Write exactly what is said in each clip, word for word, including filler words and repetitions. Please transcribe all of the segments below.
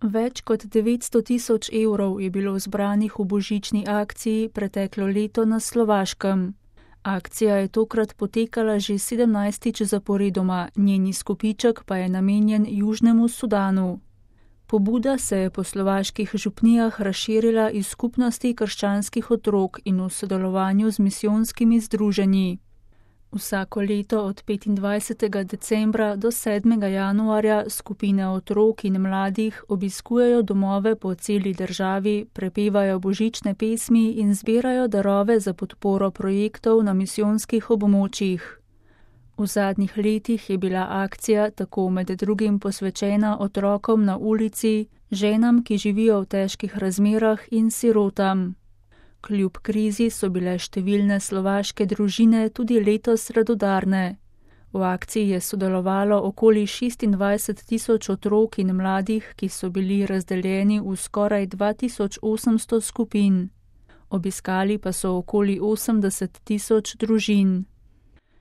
Več kot devetsto tisoč evrov je bilo zbranih v božični akciji preteklo leto na Slovaškem. Akcija je tokrat potekala že sedemnajstič zaporedoma, njen izkupiček pa je namenjen Južnemu Sudanu. Pobuda se je po slovaških župnijah razširila iz skupnosti krščanskih otrok in v sodelovanju z misijonskimi združenji. Vsako leto od petindvajsetega decembra do sedmega januarja skupine otrok in mladih obiskujejo domove po celi državi, prepevajo božične pesmi in zbirajo darove za podporo projektov na misijonskih območjih. V zadnjih letih je bila akcija tako med drugim posvečena otrokom na ulici, ženam, ki živijo v težkih razmerah, in sirotam. Kljub krizi so bile številne slovaške družine tudi letos radodarne. V akciji je sodelovalo okoli šestindvajset tisoč otrok in mladih, ki so bili razdeljeni v skoraj dva tisoč osemsto skupin. Obiskali pa so okoli osemdeset tisoč družin.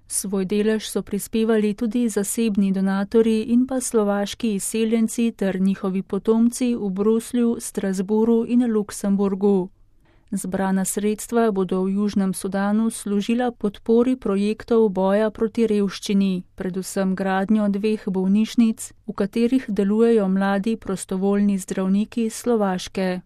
Svoj delež so prispevali tudi zasebni donatorji in pa slovaški izseljenci ter njihovi potomci v Bruslju, Strasbourgu in Luksemburgu. Zbrana sredstva bodo v Južnem Sudanu služila podpori projektov boja proti revščini, predvsem gradnjo dveh bolnišnic, v katerih delujejo mladi prostovoljni zdravniki Slovaške.